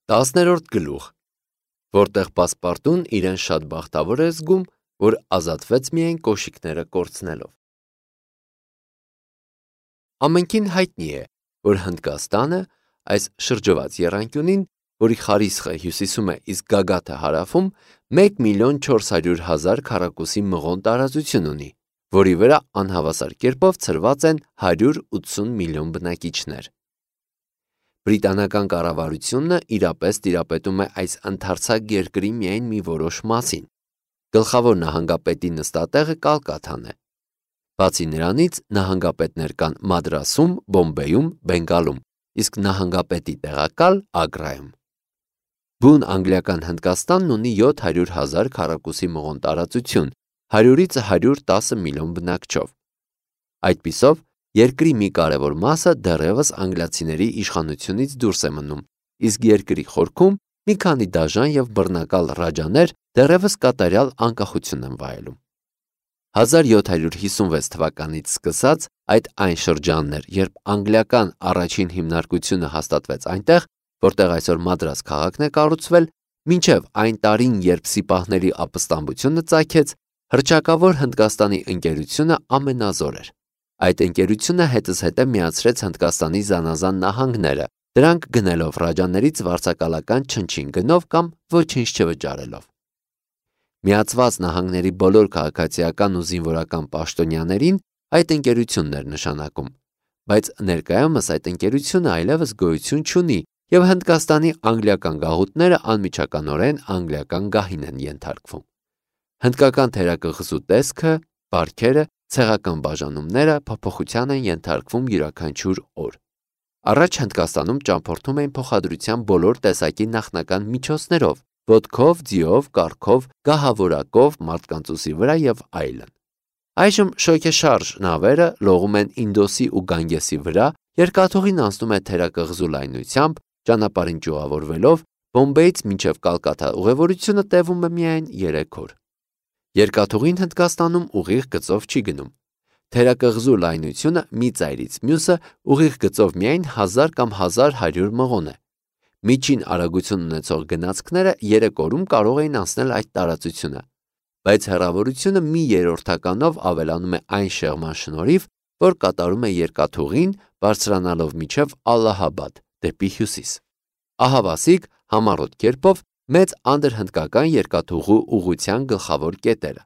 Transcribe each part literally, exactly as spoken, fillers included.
Տասներորդ գլուխ, որտեղ պասպարտուն իրեն շատ բախտավոր է զգում, որ ազատվեց միայն կոշիկները կորցնելով։ Ամենքին հայտնի է, որ Հնդկաստանը այս շրջված եռանկյունին, որի խարիսխը հյուսիսում է, իսկ գագաթը հարավում, մեկ միլիոն չորս հարյուր հազար քառակուսի մղոն տարածություն ունի, որի վրա անհավասար կերպով ցրված են հարյուր ութսուն միլիոն բնակիչներ։ Բրիտանական կառավարությունը իրապես տիրապետում է այս ընդարձակ երկրի միայն մի որոշ մասին։ Գլխավոր նահանգապետի նստատեղը Կալկաթան է։ Բացի նրանից նահանգապետներ կան Մադրասում, Բոմբեյում, Բենգալում, իսկ նահանգապետի տեղակալ Ագրայում։ Բուն անգլիական Հնդկաստանն ունի յոթ հարյուր հազար քառակուսի մղոն տարածություն, հարյուրից հարյուր տասը միլիոն բնակչով։ Այդպիսով, երկրի մի կարևոր մասը դեռևս անգլիացիների իշխանությունից դուրս է մնում, իսկ երկրի խորքում մի քանի դաժան և բռնակալ ռաջաներ դեռևս կատարյալ անկախություն են վայելում։ հազար յոթ հարյուր հիսունվեց թվականից սկսած այդ այն շրջանն էր, երբ անգլիական առաջին հիմնարկությունը հաստատվեց այնտեղ, որտեղ այսօր Մադրաս քաղաքն է կառուցվել, մինչև այն տարին, երբ սիպահների ապստամբությունը ծագեց, հռչակավոր Հնդկաստանի ընկերությունը ամենազոր էր։ Այդ ընկերությունը հետզհետե միացրեց Հնդկաստանի զանազան նահանգները, դրանք գնելով ռաջաներից վարձակալական չնչին գնով կամ ոչինչ չվճարելով։ Միացված նահանգների բոլոր քաղաքացիական ու զինվորական պաշտոնյաներին այդ ընկերությունն էր նշանակում, բայց ներկայումս այդ ընկերությունը այլևս գոյություն չունի և Հնդկաստանի անգլիական գաղութները անմիջականորեն անգլիական գահին են ենթարկվում։ Հնդկական թերակղզու տեսքը, բարքերը, ցեղական բաժանումները փոփոխության են ենթարկվում յուրաքանչյուր օր։ Առաջ Հնդկաստանում ճամփորդում էին փոխադրության բոլոր տեսակի նախնական միջոցներով՝ ոտքով, ձիով, կառքով, գահավորակով, մարդկանց ուսի վրա և այլն։ Այժմ շոգեշարժ նավերը լողում են Ինդոսի ու Գանգեսի վրա, երկաթուղին անցնում է թերակղզու լայնությամբ, ճանապարհին ճյուղավորվելով, Բոմբեյից մինչև Կալկաթա ուղևորությունը տևում է միայն երեք օր։ Երկաթուղին Հնդկաստանում ուղիղ գծով չի գնում։ Թերակղզու լայնությունը մի ծայրից մյուսը ուղիղ գծով միայն հազար կամ հազար հարյուր մղոն է։ Միջին արագություն ունեցող գնացքները երեք օրում կարող էին անցնել այդ տարածությունը, բայց հեռավորությունը մի երրորդականով ավելանում է այն շեղման շնորհիվ, որ կատարում է երկաթուղին, բարձրանալով մինչև Ալլահաբադ, դեպի հյուսիս։ Ահավասիկ համառոտ կերպով մեծ անդրհնդկական երկաթուղու ուղղության գլխավոր կետերը։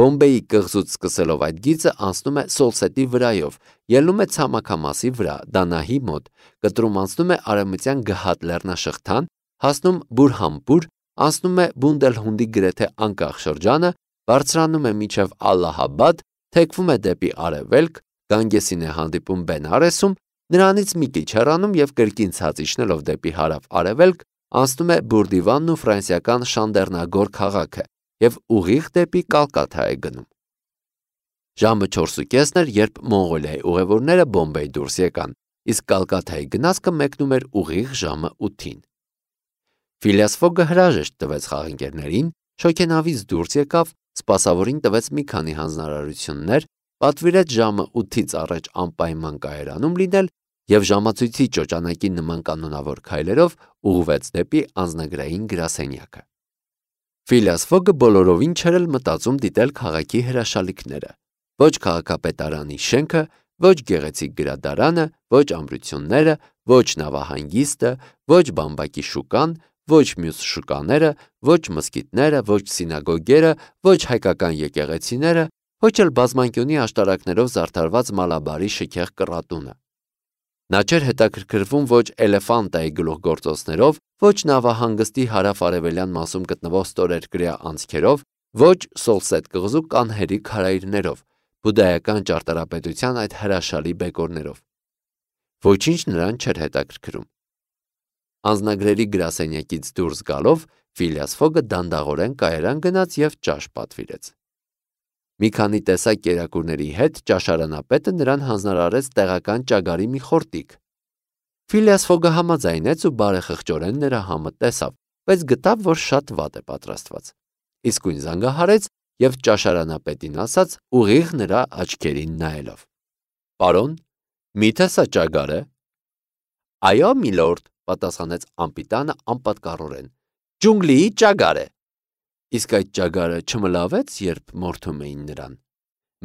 Բոմբեյի կղզուց սկսելով այդ գիծը անցնում է Սոլսետի վրայով, ելնում է ցամաքամասի վրա, Դանահի մոտ, կտրում անցնում է արևմտյան Գհատ լեռնաշղթան, հասնում Բուրհանպուր, անցնում է Բունդելհունդի գրեթե անկախ շրջանը, բարձրանում է մինչև Ալլահաբադ, թեքվում է դեպի արևելք, Գանգեսին է հանդիպում Բենարեսում, նրանից մի քիչ հեռանում և կրկին ցած իջնելով դեպի հարավ-արևելք, անցնում է Բուրդիվանն ու ֆրանսիական Շանդերնագոր քաղաքը և ուղիղ դեպի Կալկաթա է գնում։ Ժամը չորսուկեսն էր, երբ Մոնղոլիայի ուղևորները Բոմբեյ դուրս եկան, իսկ Կալկաթայի գնացքը մեկնում էր ուղիղ ժամը ութին։ Ֆիլիաս Ֆոգը հրաժեշտ տվեց խաղընկերներին, շոգենավից դուրս եկավ, սպասավորին տվեց մի քանի հանձնարարություններ, պատվիրեց ժամը ութից առաջ անպայման կայարանում լինել և ժամացույցի ճոճանակի նման կանոնավոր քայլերով ուղղվեց դեպի անձնագրային գրասենյակը։ Ֆիլիաս Ֆոգը բոլորովին չէր էլ մտածում դիտել քաղաքի հրաշալիքները։ Ոչ քաղաքապետարանի շենքը, ոչ գեղեցիկ գրադարանը, ոչ ամրությունները, ոչ նավահանգիստը, ոչ բամբակի շուկան, ոչ մյուս շուկաները, ոչ մզկիթները, ոչ սինագոգերը, ոչ հայկական եկեղեցիները, ոչ էլ բազմանկյունի աշտարակներով զարդարված Մալաբարի շքեղ կռատունը։ Նա չէր հետաքրքրվում ոչ Էլեֆանտայի գլուխգործոցներով, ոչ նավահանգստի հարավ-արևելյան մասում գտնվող ստորերկրյա անցքերով, ոչ Սոլսետ կղզու կանհերի քարայրներով, բուդդայական ճարտարապետության այդ հրաշալի բեկորներով։ Ոչինչ նրան չէր հետաքրքրում։ Անձնագրերի գրասենյակից դուրս գալով Ֆիլիաս Ֆոգը դանդաղորեն կայարան գնաց և ճաշ պատվիրեց։ Մի քանի տեսակ կերակուրների հետ ճաշարանապետը նրան հանձնարարեց տեղական ճագարի մի խորտիկ։ Ֆիլիաս Ֆոգը համաձայնեց ու բարեխղճորեն նրա համը տեսավ, բայց գտավ, որ շատ վատ է պատրաստված։ Իսկույն զանգահարեց և ճաշարանապետին ասաց ուղիղ նրա աչքերին նայելով. «Պարոն, միթե սա ճագար է»։ «Այո, միլորդ», պատասխանեց անպիտանը անպատկառորեն։ Ջունգլիի ճագար է։ Իսկ այդ ճագարը չմլավեց, երբ մորթում էին նրան։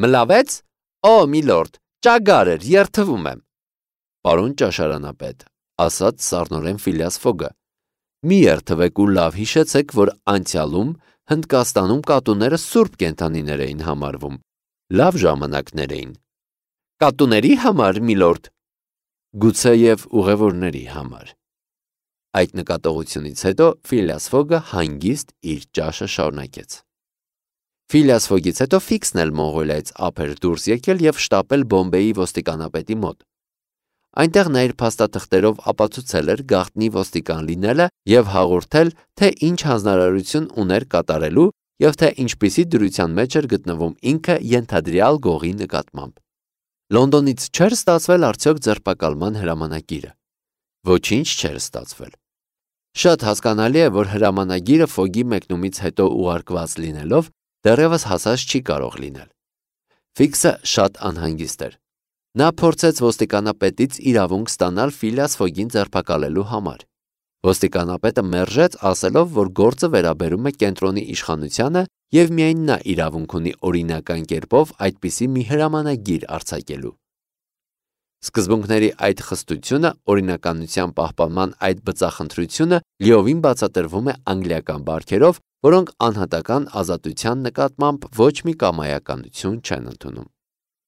Մլավեց։ Օ, միլորդ, ճագար էր, երթվում եմ։ Պարոն ճաշարանապետ, ասաց սառնորեն Ֆիլիաս Ֆոգը, մի երթվեք ու լավ հիշեցեք, որ անցյալում Հնդկաստանում կատուները սուրբ կենդանիներ էին համարվում, լավ ժամանակներ էին։ Կատուների համար, միլորդ։ Գուցեև ուղևորների համար։ Այդ նկատողությունից հետո Ֆիլիաս Ֆոգը հանգիստ իր ճաշը շարունակեց։ Ֆիլիաս Ֆոգից հետո Ֆիքսն էլ Մոնղոլիայից ափ էր դուրս եկել եւ շտապել Բոմբեի ոստիկանապետի մոտ։ Այնտեղ նա իր փաստաթղթերով ապացուցել էր գաղտնի ոստիկան լինելը եւ հաղորդել, թե ինչ հանձնարարություն ուներ կատարելու եւ թե ինչպիսի դրության մեջ էր գտնվում ինքը ենթադրյալ գողի նկատմամբ։ Լոնդոնից չէր ստացվել արդյոք ձերբակալման հրամանագիրը։ Ոչինչ չէր ստացվել։ Շատ հասկանալի է, որ հրամանագիրը Ֆոգի մեկնումից հետո ուղարկված լինելով դեռևս հասած չի կարող լինել։ Ֆիքսը շատ անհանգիստ էր։ Նա փորձեց ոստիկանապետից իրավունք ստանալ Ֆիլիաս Ֆոգին ձերբակալելու համար։ Ոստիկանապետը մերժեց, ասելով, որ գործը վերաբերում է կենտրոնի իշխանությանը եւ միայն նա իրավունք ունի օրինական կերպով այդպիսի մի հրամանագիր արձակելու։ Սկզբունքների այդ խստությունը, օրինականության պահպանման այդ բծախնդրությունը լիովին բացատրվում է անգլիական բարքերով, որոնք անհատական ազատության նկատմամբ ոչ մի կամայականություն չեն ընդունում։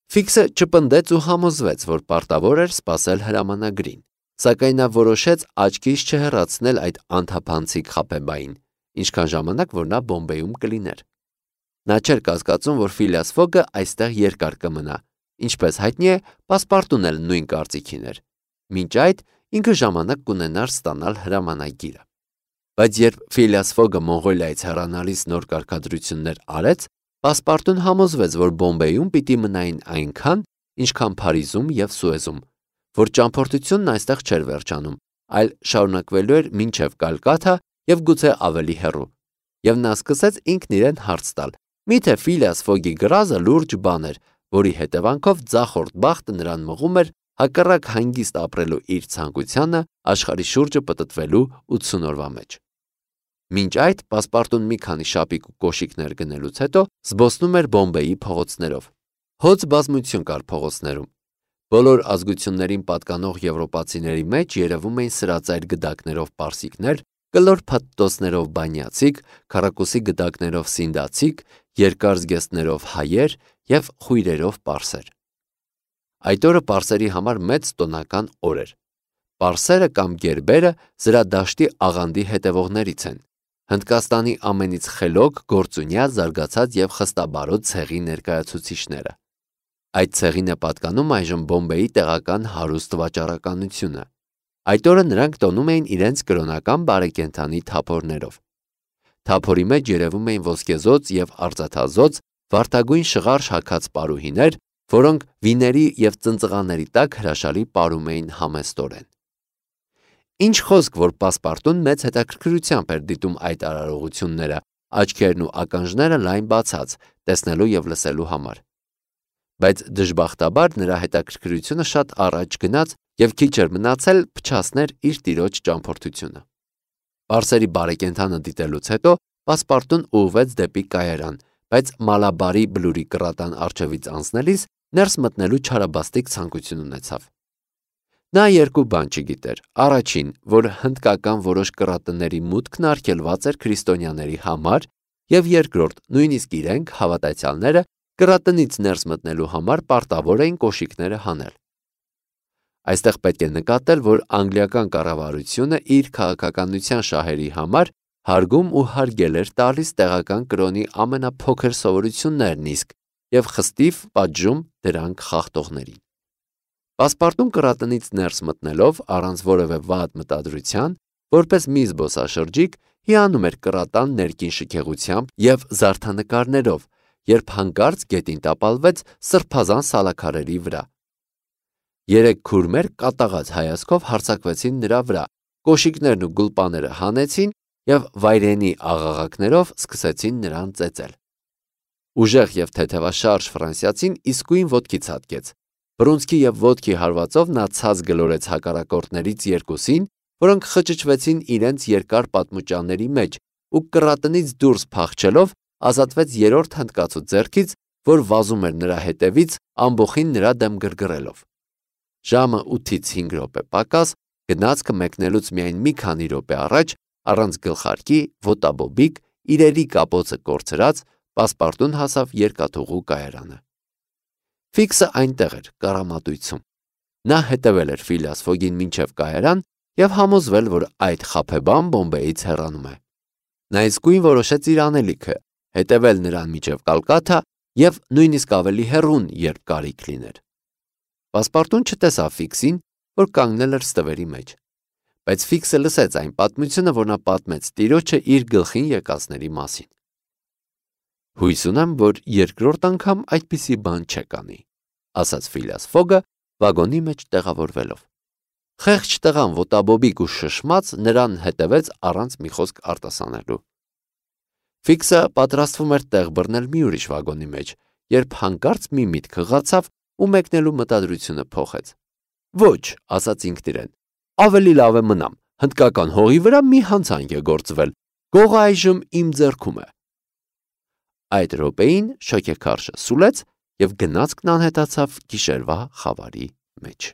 Ֆիքսը չպնդեց ու համոզվեց, որ պարտավոր էր սպասել հրամանագրին, սակայն նա որոշեց աչքից չհեռացնել այդ անթափանցիկ խաբեբային, ինչքան ժամանակ որ նա Բոմբեյում կլիներ։ Նա չէր կասկածում, որ Ֆիլիաս Ֆոգը այստեղ երկար կմնա, ինչպես հայտնի է, պասպարտուն էլ նույն կարծիքին էր։ Մինչ այդ ինքը ժամանակ կունենար ստանալ հրամանագիրը։ Բայց երբ Ֆիլիաս Ֆոգը Մոնղոլիայից հեռանալիս նոր կարգադրություններ արեց, պասպարտուն համոզվեց, որ Բոմբեյում պիտի մնային այնքան, ինչքան Փարիզում եւ Սուեզում, որ ճամփորդությունն այստեղ չէր վերջանում, այլ շարունակվելու էր մինչև Կալկաթա եւ գուցե ավելի հեռու։ Եվ նա սկսեց ինքն իրեն հարց տալ. միթե Ֆիլիաս Ֆոգի գրազը լուրջ բան էր, որի հետևանքով ձախորդ բախտը նրան մղում էր հակառակ հանգիստ ապրելու իր ցանկությանը աշխարհի շուրջը պտտվելու ութսուն օրվա մեջ։ Մինչ այդ պասպարտուն մի քանի շապիկ ու կոշիկներ գնելուց հետո զբոսնում էր Բոմբեի փողոցներով։ Հոծ բազմություն կար փողոցներում։ Բոլոր ազգություններին պատկանող եվրոպացիների մեջ երևում էին սրածայր գդակներով պարսիկներ, կլոր փաթթոցներով բանյացիք, քառակուսի գդակներով սինդացիք, երկար զգեստներով հայեր եւ խույրերով պարսեր։ Այդ օրը պարսերի համար մեծ տոնական օր էր։ Պարսերը կամ գերբերը զրադաշտի աղանդի հետևողներից են։ Հնդկաստանի ամենից խելոք, գործունյա, զարգացած եւ խստաբարոտ ցեղի ներկայացուցիչները։ Այդ ցեղին է պատկանում այժմ Բոմբեի տեղական հարուստ վաճառականությունը։ Այդ օրը նրանք տոնում էին իրենց կրոնական բարեկենդանի թափորներով։ Թափորի մեջ երևում էին ոսկեզոծ եւ արծաթազոծ վարդագույն շղարշ հագած պարուհիներ, որոնք վիների եւ ծնծղաների տակ հրաշալի պարում էին համեստորեն։ Ինչ խոսք, որ պասպարտուն մեծ հետաքրքրությամբ էր դիտում այդ արարողությունները, աչքերն ու ականջները լայն բացած, տեսնելու եւ լսելու համար։ Բայց դժբախտաբար նրա հետաքրքրությունը շատ առաջ գնաց եւ քիչ էր մնացել փչացներ իր տիրոջ ճամփորդությունը։ Պարսերի բարեկենդանը դիտելուց հետո պասպարտուն ուղղվեց դեպի կայարան, բայց Մալաբարի բլուրի կռատան առջևից անցնելիս ներս մտնելու չարաբաստիկ ցանկություն ունեցավ։ Նա երկու բան չգիտեր. առաջին, որ հնդկական որոշ կռատների մուտքն արգելված էր քրիստոնյաների համար, եւ երկրորդ, նույնիսկ իրենք հավատացյալները կռատնից ներս մտնելու համար պարտավոր էին կոշիկները հանել։ Այստեղ պետք է նկատել, որ անգլիական կառավարությունը իր քաղաքականության շահերի համար հարգում ու հարգել էր տալիս տեղական կրոնի ամենափոքր սովորություններն իսկ եւ խստիվ պատժում դրանք խախտողներին։ Պասպարտուն կռատնից ներս մտնելով առանց որևէ վատ մտադրության, որպես մի զբոսաշրջիկ հիանում էր կռատան ներքին շքեղությամբ եւ զարդանկարներով, երբ հանկարծ գետին տապալվեց սրբազան սալաքարերի վրա։ Երեք քուրմեր կատաղած հայացքով հարձակվեցին նրա վրա, կոշիկներն ու գուլպաները հանեցին եւ վայրենի աղաղակներով սկսեցին նրան ծեծել։ Ուժեղ եւ թեթևաշարժ ֆրանսիացին իսկույն ոտքի ցատկեց։ Բռունցքի եւ ոտքի հարվածով նա ցած գլորեց հակառակորդներից երկուսին որոնք խճճվեցին իրենց երկար պատմուճանների մեջ ու կռատնից դուրս փախչելով ազատվեց երրորդ հնդկացու ձեռքից, որ վազում էր նրա հետևից, ամբոխին նրա դեմ գրգռելով։ Ժամը ութից հինգ րոպե պակաս, գնացքը մեկնելուց միայն մի քանի րոպե առաջ, առանց գլխարկի, ոտաբոբիկ, իրերի կապոցը կորցրած, պասպարտուն հասավ երկաթուղու կայարանը։ Ֆիքսը այնտեղ էր, կառամատույցում։ Նա հետևել էր Ֆիլիաս Ֆոգին մինչև կայարան և համոզվել, որ այդ խաբեբան Բոմբեից հեռանում է։ Նա իսկույն որոշեց իր անելիքը, հետևել նրան մինչև Կալկաթա և նույնիսկ ավելի հեռուն, երբ կարիք լիներ։ Պասպարտուն չտեսավ Ֆիքսին, որ կանգնել էր ստվերի մեջ, բայց Ֆիքսը լսեց այն պատմությունը, որ նա պատմեց տիրոջը իր գլխին եկածների մասին։ Հույս ունեմ, որ երկրորդ անգամ այդպիսի բան չկանի, ասաց Ֆիլիաս Ֆոգը վագոնի մեջ տեղավորվելով։ Խեղճ տղան ոտաբոբիկ ու շշմած նրան հետևեց առանց մի խոսք արտասանելու։ Ֆիքսը պատրաստվում էր տեղ բռնել մի ուրիշ վագոնի մեջ, երբ հանկարծ մի միտք հղացավ ու մեկնելու մտադրությունը փոխեց։ Ոչ, ասաց ինքն իրեն, ավելի լավ է մնամ, հնդկական հողի վրա մի հանցանք է գործվել, գողը այժմ իմ ձեռքում է։ Այդ րոպեին շոգեքարշը սուլեց և գնացքն անհետացավ գիշերվա խավարի մեջ։